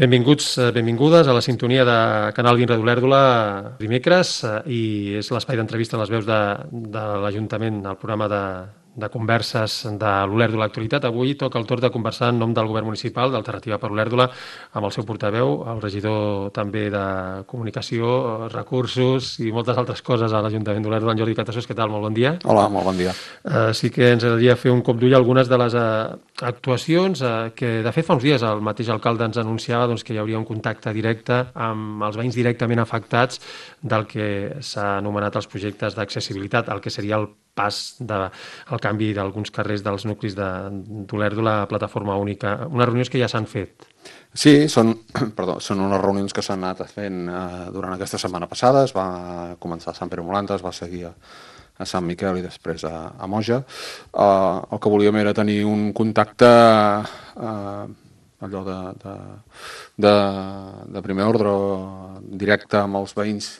Benvinguts, benvingudes a la sintonia de Canal 20 d'Olèrdola dimecres i és l'espai d'entrevista a les veus de l'Ajuntament, el programa de converses de l'Olèrdola Actualitat. Avui toca el torn de conversar en nom del govern municipal d'Alternativa per Olèrdola amb el seu portaveu, el regidor també de Comunicació, Recursos i moltes altres coses a l'Ajuntament d'Olèrdola, en Jordi Catassos. Què tal? Molt bon dia. Hola, molt bon dia. Sí que ens agradaria fer un cop d'ull a algunes de les actuacions que, de fet, fa uns dies el mateix alcalde ens anunciava que hi hauria un contacte directe amb els veïns directament afectats del que s'ha anomenat els projectes d'accessibilitat, el que seria el pas del canvi d'alguns carrers dels nuclis d'Olèrdola a plataforma única. Unes reunions que ja s'han fet. Sí, són unes reunions que s'han anat fent durant aquesta setmana passada. Es va començar a Sant Pere Molanta, es va seguir a Sant Miquel i després a Moja. El que volíem era tenir un contacte allò de primer ordre directe amb els veïns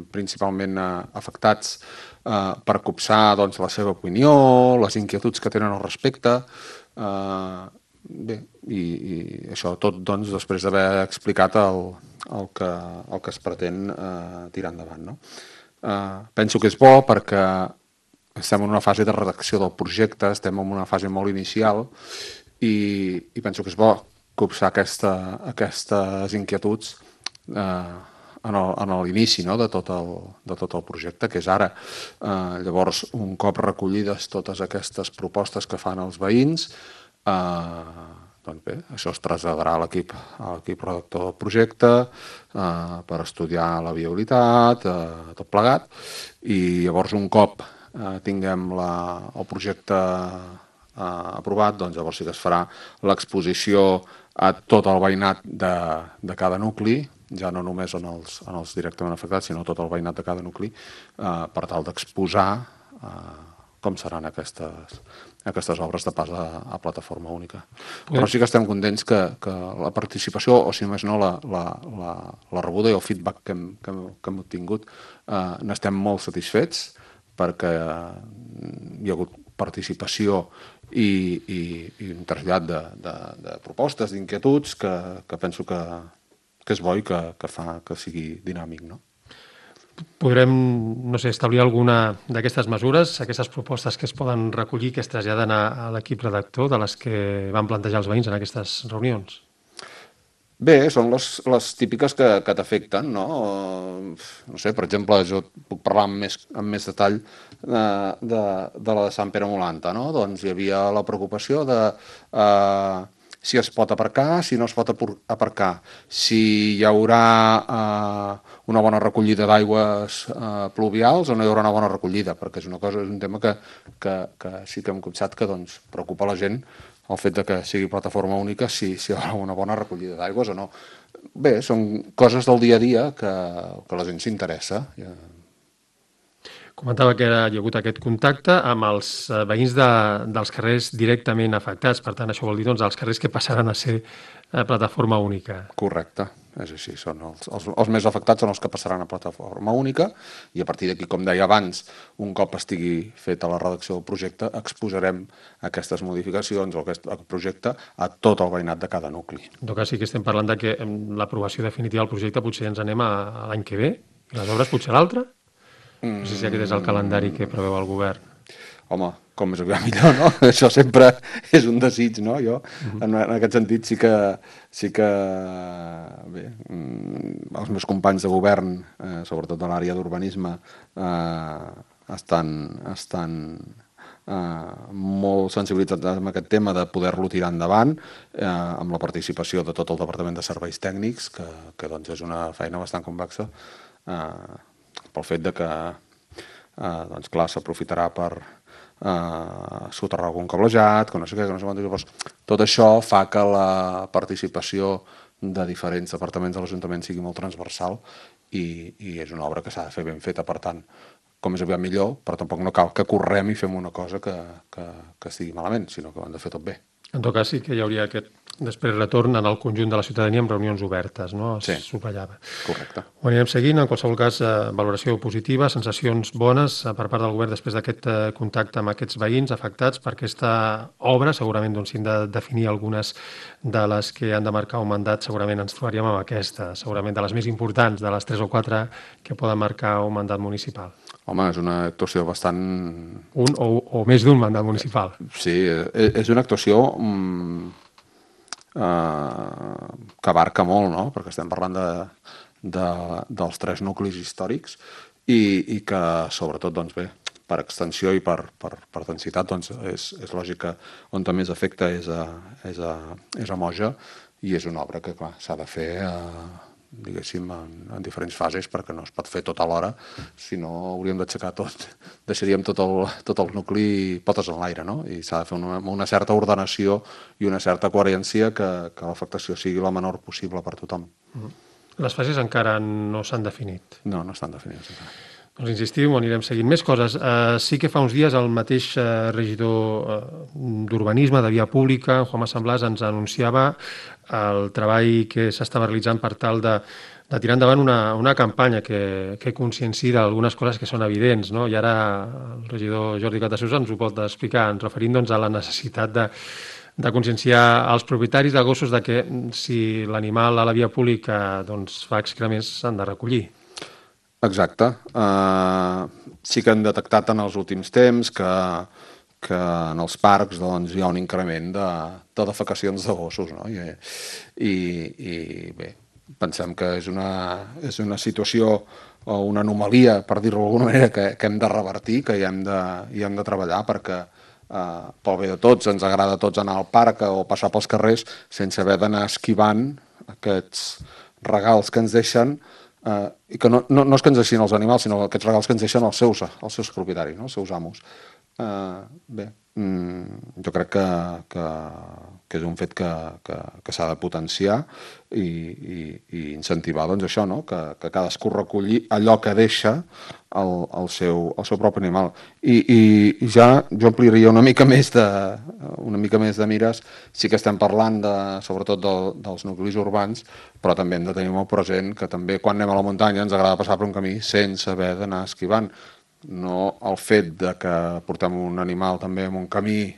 principalment afectats per copsar la seva opinió, les inquietuds que tenen al respecte. Bé, i això tot després d'haver explicat el que es pretén tirar endavant, no? Penso que és bo perquè estem en una fase de redacció del projecte, estem en una fase molt inicial i penso que és bo copsar aquestes inquietuds en l'inici, no?, de tot el projecte, que és ara. Llavors, un cop recollides totes aquestes propostes que fan els veïns, doncs bé, això es traslladarà a l'equip redactor del projecte per estudiar la viabilitat, tot plegat, i llavors un cop tinguem el projecte aprovat, doncs llavors sí que es farà l'exposició a tot el veïnat de cada nucli, ja no només en els directament afectats, sinó tot el veïnat de cada nucli, per tal d'exposar com seran aquestes obres de pas a plataforma única. Però sí que estem contents que la participació, o si més no la rebuda i el feedback que hem obtingut, n'estem molt satisfets perquè hi ha hagut participació i un trasllat de propostes, d'inquietuds que penso que és bo i que fa que sigui dinàmic, no? Podrem, no sé, establir alguna d'aquestes mesures, aquestes propostes que es poden recollir, que es traslladen a l'equip redactor de les que van plantejar els veïns en aquestes reunions? Bé, són les típiques que t'afecten, no? No sé, per exemple, jo puc parlar amb més detall de la de Sant Pere Molanta, no? Doncs hi havia la preocupació de si es pot aparcar, si no es pot aparcar, si hi haurà una bona recollida d'aigües pluvials o no hi haurà una bona recollida, perquè és un tema que sí que hem copsat que preocupa la gent, el fet de que sigui plataforma única, si hi haurà una bona recollida d'aigües o no. Bé, són coses del dia a dia que la gent s'interessa. Comentava que hi ha hagut aquest contacte amb els veïns dels carrers directament afectats. Per tant, això vol dir els carrers que passaran a ser plataforma única. Correcte, és així. Els més afectats són els que passaran a plataforma única i a partir d'aquí, com deia abans, un cop estigui feta la redacció del projecte, exposarem aquestes modificacions o aquest projecte a tot el veïnat de cada nucli. En tot cas, sí que estem parlant de que l'aprovació definitiva del projecte potser ens anem a l'any que ve i les obres potser a l'altre? No sé si aquest és el calendari que preveu el govern. Home, com més aviat millor, no? Això sempre és un desig, no? Jo, en aquest sentit, sí que bé, els meus companys de govern, sobretot de l'àrea d'urbanisme, estan molt sensibilitzats amb aquest tema de poder-lo tirar endavant amb la participació de tot el Departament de Serveis Tècnics, que és una feina bastant complexa, pel fet de que clar, s'aprofitarà per soterrar algun cablejat, que no sé què, que no sé quant. Llavors, tot això fa que la participació de diferents departaments de l'Ajuntament sigui molt transversal i és una obra que s'ha de fer ben feta. Per tant, com més aviat millor, però tampoc no cal que correm i fem una cosa que estigui malament, sinó que ho hem de fer tot bé. En tot cas, sí que hi hauria aquest després retorn en el conjunt de la ciutadania amb reunions obertes, no? Sí. Es subratllava. Correcte. Ho anirem seguint, en qualsevol cas, valoració positiva, sensacions bones per part del govern després d'aquest contacte amb aquests veïns afectats per aquesta obra. Segurament doncs, si hem de definir algunes de les que han de marcar un mandat, segurament ens trobaríem amb aquesta, segurament de les més importants, de les 3 o 4 que poden marcar un mandat municipal. Home, és una actuació bastant... Un o més d'un mandat municipal. Sí, és una actuació que abarca molt, no? Perquè estem parlant dels 3 nuclis històrics i que, sobretot, doncs bé, per extensió i per densitat, doncs és lògic que on més afecta és a Moja, i és una obra que, clar, s'ha de fer diguéssim, en diferents fases, perquè no es pot fer tot alhora, si no hauríem d'aixecar tot, deixaríem tot el nucli potes en l'aire, no? I s'ha de fer una certa ordenació i una certa coherència que l'afectació sigui la menor possible per tothom. Les fases encara no s'han definit. No estan definides encara. Doncs insistim, anirem seguint més coses. Sí que fa uns dies el mateix regidor d'Urbanisme, de Via Pública, Juanma Samblas, ens anunciava el treball que s'estava realitzant per tal de tirar endavant una campanya que consciencia d'algunes coses que són evidents, no? I ara el regidor Jordi Catasús ens ho pot explicar, ens referint doncs, a la necessitat de conscienciar els propietaris de gossos de que si l'animal a la via pública doncs, fa excrements s'han de recollir. Exacte. Sí que hem detectat en els últims temps que en els parcs doncs, hi ha un increment de defecacions de gossos, no? I bé, pensem que és una situació o una anomalia, per dir-ho d'alguna manera, que hem de revertir, que hi hem de treballar, perquè pel bé de tots, ens agrada a tots anar al parc o passar pels carrers sense haver d'anar esquivant aquests regals que ens deixen, i que no és que ens deixin els animals, sinó aquests regals que ens deixen els seus propietaris, no? Els seus amos. Bé, jo crec que és un fet que s'ha de potenciar i incentivar doncs, això, no? Que cadascú recolli allò que deixa el seu propi animal. I ja jo ampliaria una mica més de mires. Sí que estem parlant sobretot dels nuclis urbans, però també hem de tenir molt present que també quan anem a la muntanya ens agrada passar per un camí sense haver d'anar esquivant. No el fet de que portem un animal també en un camí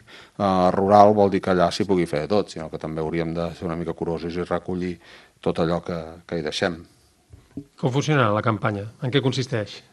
rural vol dir que allà s'hi pugui fer de tot, sinó que també hauríem de ser una mica curosos i recollir tot allò que hi deixem. Com funciona la campanya? En què consisteix?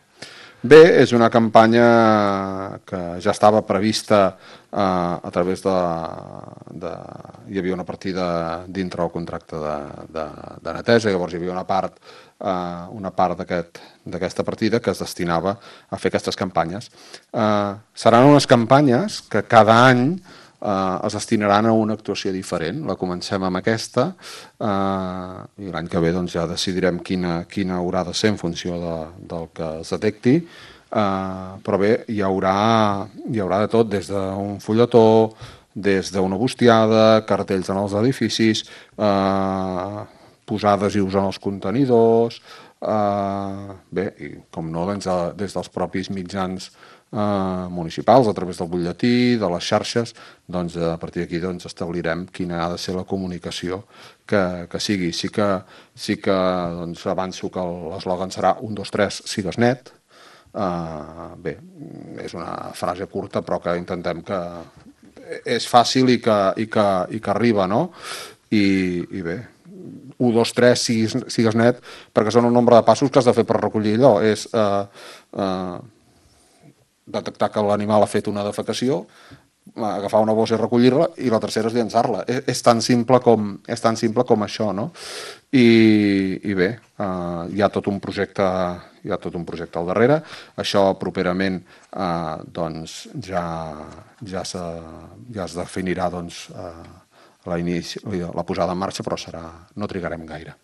Bé, és una campanya que ja estava prevista a través hi havia una partida dintre el contracte de neteja, llavors hi havia una part d'aquesta partida que es destinava a fer aquestes campanyes. Seran unes campanyes que cada any es destinaran a una actuació diferent. La comencem amb aquesta i l'any que ve doncs, ja decidirem quina haurà de ser en funció del que es detecti, però bé, hi haurà de tot, des d'un fulletó, des d'una bustiada, cartells en els edificis, posar adhesius en els contenidors, bé, i com no, des dels propis mitjans municipals, a través del butlletí, de les xarxes, doncs a partir d'aquí doncs, establirem quina ha de ser la comunicació que sigui. Sí que doncs, avanço que l'eslògan serà 1, 2, 3, sigues net. Bé, és una frase curta però que intentem que és fàcil i que arriba, no? I bé, 1, 2, 3, sigues net, perquè són un nombre de passos que has de fer per recollir allò. És detectar que l'animal ha fet una defecació, agafar una bossa i recollir-la, i la tercera és llançar-la. És tan simple com això, no? I bé, hi ha tot un projecte al darrere. Això properament doncs, ja es definirà doncs, la posada en marxa, però no trigarem gaire.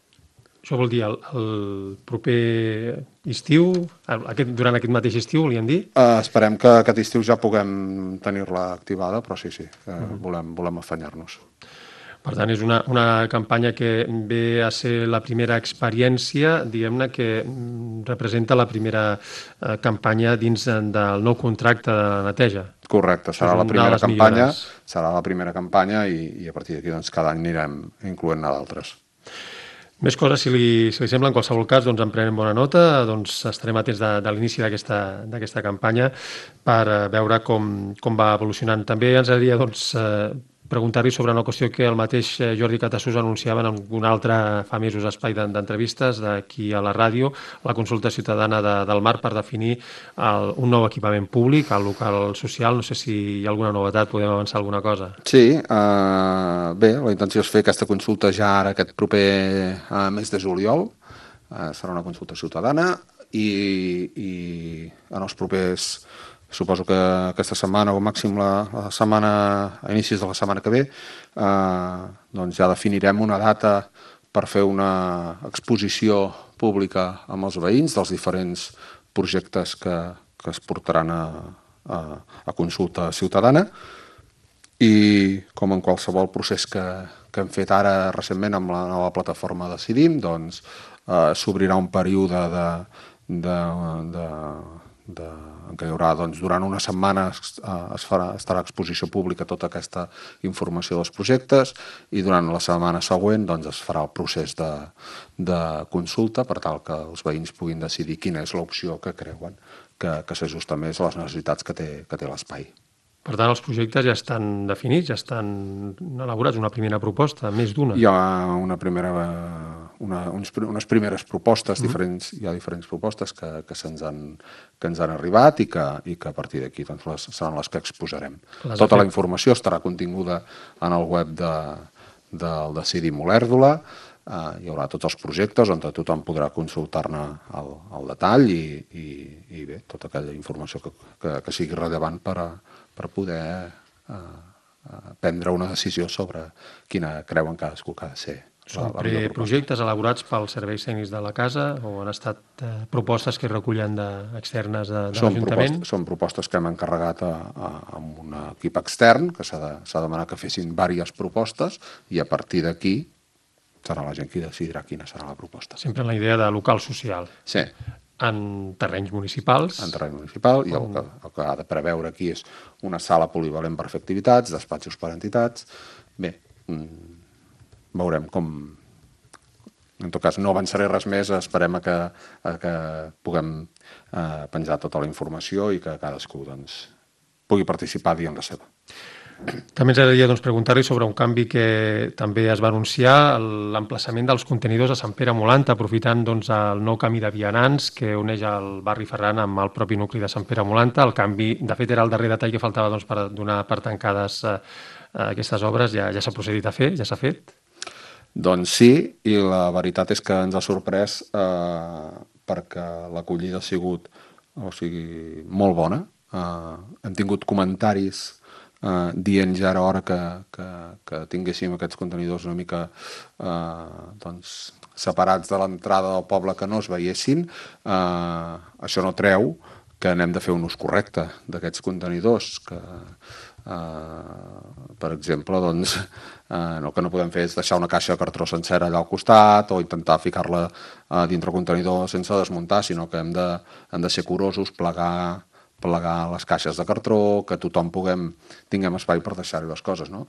Això vol dir el proper estiu, durant aquest mateix estiu, volíem dir? Esperem que aquest estiu ja puguem tenir-la activada, però sí, volem afanyar-nos. Per tant, és una campanya que ve a ser la primera experiència, diguem-ne, que representa la primera campanya dins del nou contracte de neteja. Correcte, serà Això és la una primera de les campanya, millores. serà la primera campanya i a partir d'aquí doncs, cada any anirem incloent-ne d'altres. Més coses, si li sembla, en qualsevol cas, doncs en prenem bona nota, doncs estarem atents de l'inici d'aquesta campanya per veure com va evolucionant. També ens agradaria doncs, preguntar-li sobre una qüestió que el mateix Jordi Catassús anunciava en un altre fa mesos espai d'entrevistes d'aquí a la ràdio, la consulta ciutadana del Mar per definir un nou equipament públic, el local social. No sé si hi ha alguna novetat, podem avançar alguna cosa. Sí, bé, la intenció és fer aquesta consulta ja ara aquest proper mes de juliol. Serà una consulta ciutadana i en els propers, suposo que aquesta setmana o màxim la setmana, a inicis de la setmana que ve, doncs ja definirem una data per fer una exposició pública amb els veïns dels diferents projectes que es portaran a consulta ciutadana. I com en qualsevol procés que hem fet ara recentment amb la nova plataforma Decidim, doncs s'obrirà un període en què hi haurà, doncs, durant una setmana estarà a exposició pública tota aquesta informació dels projectes i durant la setmana següent doncs, es farà el procés de consulta per tal que els veïns puguin decidir quina és l'opció que creuen que s'ajusta més a les necessitats que té l'espai. Per tant, els projectes ja estan definits, ja estan elaborats, una primera proposta, més d'una. Hi ha unes primeres propostes, hi ha diferents propostes que ens han arribat i que a partir d'aquí doncs, seran les que exposarem. Tota la informació estarà continguda en el web del Decidim Olèrdola. Hi haurà tots els projectes on tothom podrà consultar-ne el detall i bé, tota aquella informació que sigui rellevant per poder prendre una decisió sobre quina creuen cadascú que ha de ser. Són projectes elaborats pels serveis tècnics de la casa o han estat propostes que recullen externes de l'Ajuntament? Són propostes que hem encarregat a un equip extern, que s'ha demanat que fessin diverses propostes i a partir d'aquí serà la gent qui decidirà quina serà la proposta. Sempre en la idea de local social. Sí. En terrenys municipals. En terreny municipal, i el que ha de preveure aquí és una sala polivalent per fer activitats, despatxos per entitats. Bé, veurem com... En tot cas, no avançaré res més, esperem que puguem penjar tota la informació i que cadascú doncs, pugui participar dient la seva. També ens agradaria preguntar-li sobre un canvi que també es va anunciar, l'emplaçament dels contenidors a Sant Pere Molant, aprofitant el nou camí de vianants que uneix el barri Ferran amb el propi nucli de Sant Pere Molant. El canvi, de fet, era el darrer detall que faltava per donar per tancades aquestes obres. Ja s'ha procedit a fer? Ja s'ha fet? Doncs sí, i la veritat és que ens ha sorprès perquè l'acollida ha sigut molt bona. Hem tingut comentaris dient ja era hora que tinguéssim aquests contenidors una mica separats de l'entrada del poble, que no es veiessin. Això no treu que n'hem de fer un ús correcte d'aquests contenidors, que per exemple el que no podem fer és deixar una caixa de cartró sencera allà al costat o intentar ficar-la dintre el contenidor sense desmuntar, sinó que hem de ser curosos, plegar les caixes de cartró, que tothom tinguem espai per deixar-hi les coses, no?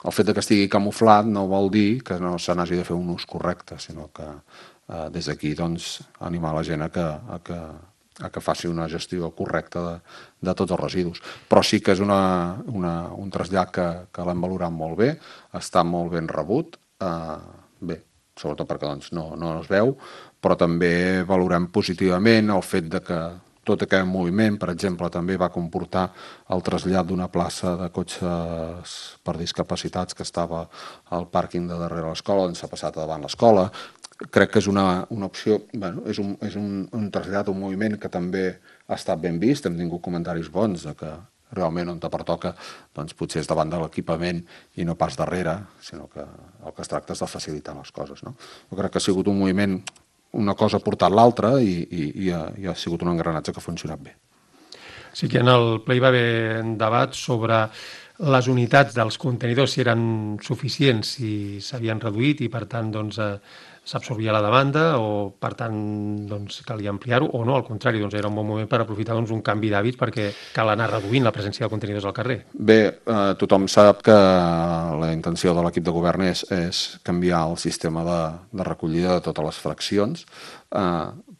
El fet que estigui camuflat no vol dir que no se n'hagi de fer un ús correcte, sinó que des d'aquí animar la gent a que faci una gestió correcta de tots els residus. Però sí que és un trasllat que l'hem valorat molt bé, està molt ben rebut, bé, sobretot perquè no es veu, però també valorem positivament el fet que tot aquest moviment, per exemple, també va comportar el trasllat d'una plaça de cotxes per discapacitats que estava al pàrquing de darrere l'escola, on s'ha passat a davant l'escola. Crec que és una opció, és un trasllat, un moviment que també ha estat ben vist. Hem tingut comentaris bons de que realment on te pertoca potser és davant de l'equipament i no pas darrere, sinó que el que es tracta és de facilitar les coses. Jo crec que ha sigut un moviment, una cosa ha portat l'altra i ha sigut un engranatge que ha funcionat bé. Sí que en el ple hi va haver un debat sobre les unitats dels contenidors, si eren suficients, si s'havien reduït i per tant s'absorbia la demanda o, per tant, doncs, calia ampliar-ho o no, al contrari, doncs era un bon moment per aprofitar doncs, un canvi d'hàbits perquè cal anar reduint la presència de contenidors al carrer. Bé, tothom sap que la intenció de l'equip de govern és canviar el sistema de recollida de totes les fraccions,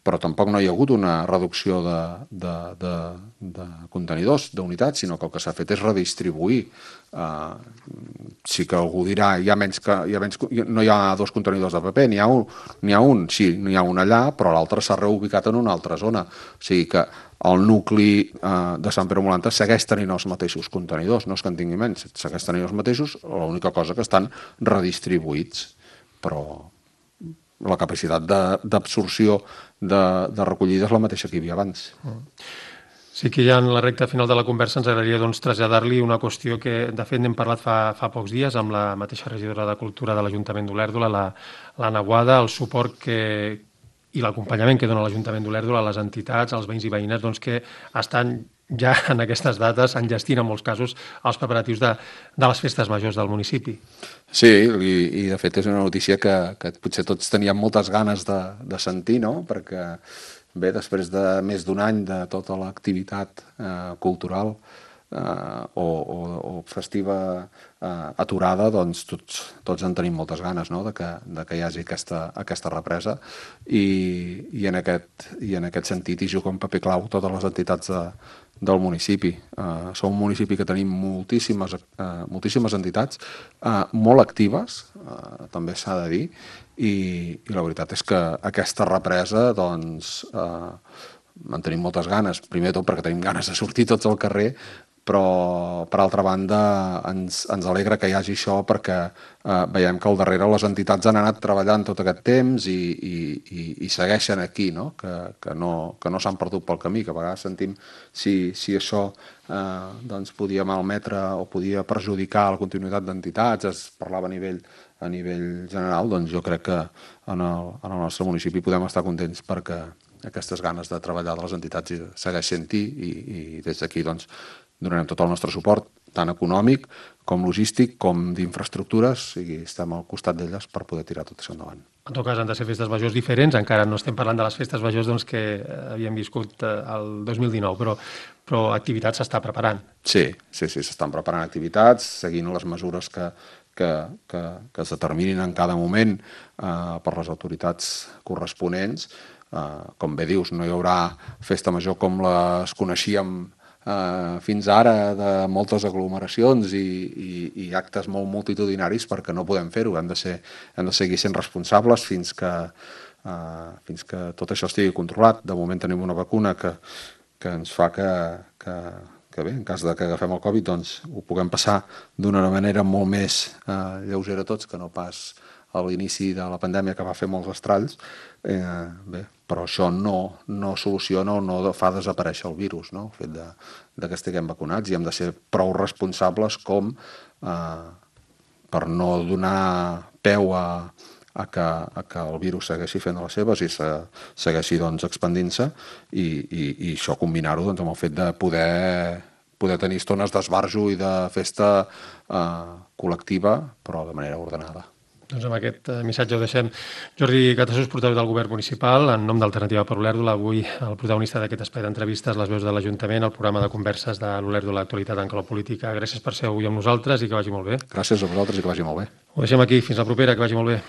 però tampoc no hi ha hagut una reducció de contenidors, d'unitats, sinó que el que s'ha fet és redistribuir. Sí que algú dirà no hi ha 2 contenidors de paper, n'hi ha un, sí, n'hi ha un allà, però l'altre s'ha reubicat en una altra zona. O sigui que el nucli de Sant Pere Molanta segueix tenint els mateixos contenidors, no és que en tingui menys, segueix tenint els mateixos, l'única cosa que estan redistribuïts, però la capacitat d'absorció de recollida és la mateixa que hi havia abans. Sí que ja en la recta final de la conversa ens agradaria doncs, traslladar-li una qüestió que, de fet, n'hem parlat fa pocs dies amb la mateixa regidora de Cultura de l'Ajuntament d'Olèrdola, l'Anna Boada, el suport i l'acompanyament que dona l'Ajuntament d'Olèrdola a les entitats, als veïns i veïnes, doncs, que estan ja en aquestes dates enllestint en molts casos els preparatius de les festes majors del municipi. Sí, i de fet és una notícia que potser tots teníem moltes ganes de sentir, no? Perquè, bé, després de més d'un any de tota l'activitat cultural o festiva aturada, doncs tots en tenim moltes ganes, no? de que hi hagi aquesta represa i en aquest sentit hi juga un paper clau totes les entitats del municipi. Som un municipi que tenim moltíssimes entitats molt actives, també s'ha de dir, i la veritat és que aquesta represa doncs en tenim moltes ganes, primer de tot perquè tenim ganes de sortir tots al carrer, però per altra banda ens alegra que hi hagi això perquè veiem que al darrere les entitats han anat treballant tot aquest temps i segueixen aquí, no? Que no s'han perdut pel camí, que a vegades sentim si això doncs podia malmetre o podia perjudicar la continuïtat d'entitats, es parlava a nivell general, doncs jo crec que en el nostre municipi podem estar contents perquè aquestes ganes de treballar de les entitats segueix sent-hi i des d'aquí doncs donarem tot el nostre suport, tant econòmic com logístic, com d'infraestructures, i estem al costat d'elles per poder tirar tot això endavant. En tot cas, han de ser festes majors diferents, encara no estem parlant de les festes majors doncs, que havíem viscut el 2019, però activitats s'està preparant. Sí, s'estan preparant activitats, seguint les mesures que es determinin en cada moment per les autoritats corresponents. Com bé dius, no hi haurà festa major com les coneixíem fins ara, de moltes aglomeracions i actes molt multitudinaris, perquè no podem fer-ho, hem de seguir sent responsables fins que tot això estigui controlat. De moment tenim una vacuna que ens fa que bé, en cas de que agafem el Covid, doncs ho puguem passar d'una manera molt més lleugera tots que no pas a l'inici de la pandèmia, que va fer molts estralls. Bé, però això no soluciona o no fa desaparèixer el virus, no? El fet de que estiguem vacunats, i hem de ser prou responsables com per no donar peu a que el virus segueixi fent de les seves i segueixi doncs, expandint-se, i això combinar-ho doncs, amb el fet de poder tenir estones d'esbarjo i de festa col·lectiva, però de manera ordenada. Doncs amb aquest missatge ho deixem. Jordi Catasús, portaveu del Govern Municipal, en nom d'Alternativa per Olèrdola, avui el protagonista d'aquest espai d'entrevistes, les veus de l'Ajuntament, el programa de converses de l'Olèrdola, l'actualitat en clau política. Gràcies per ser avui amb nosaltres i que vagi molt bé. Gràcies a vosaltres i que vagi molt bé. Ho deixem aquí. Fins la propera, que vagi molt bé.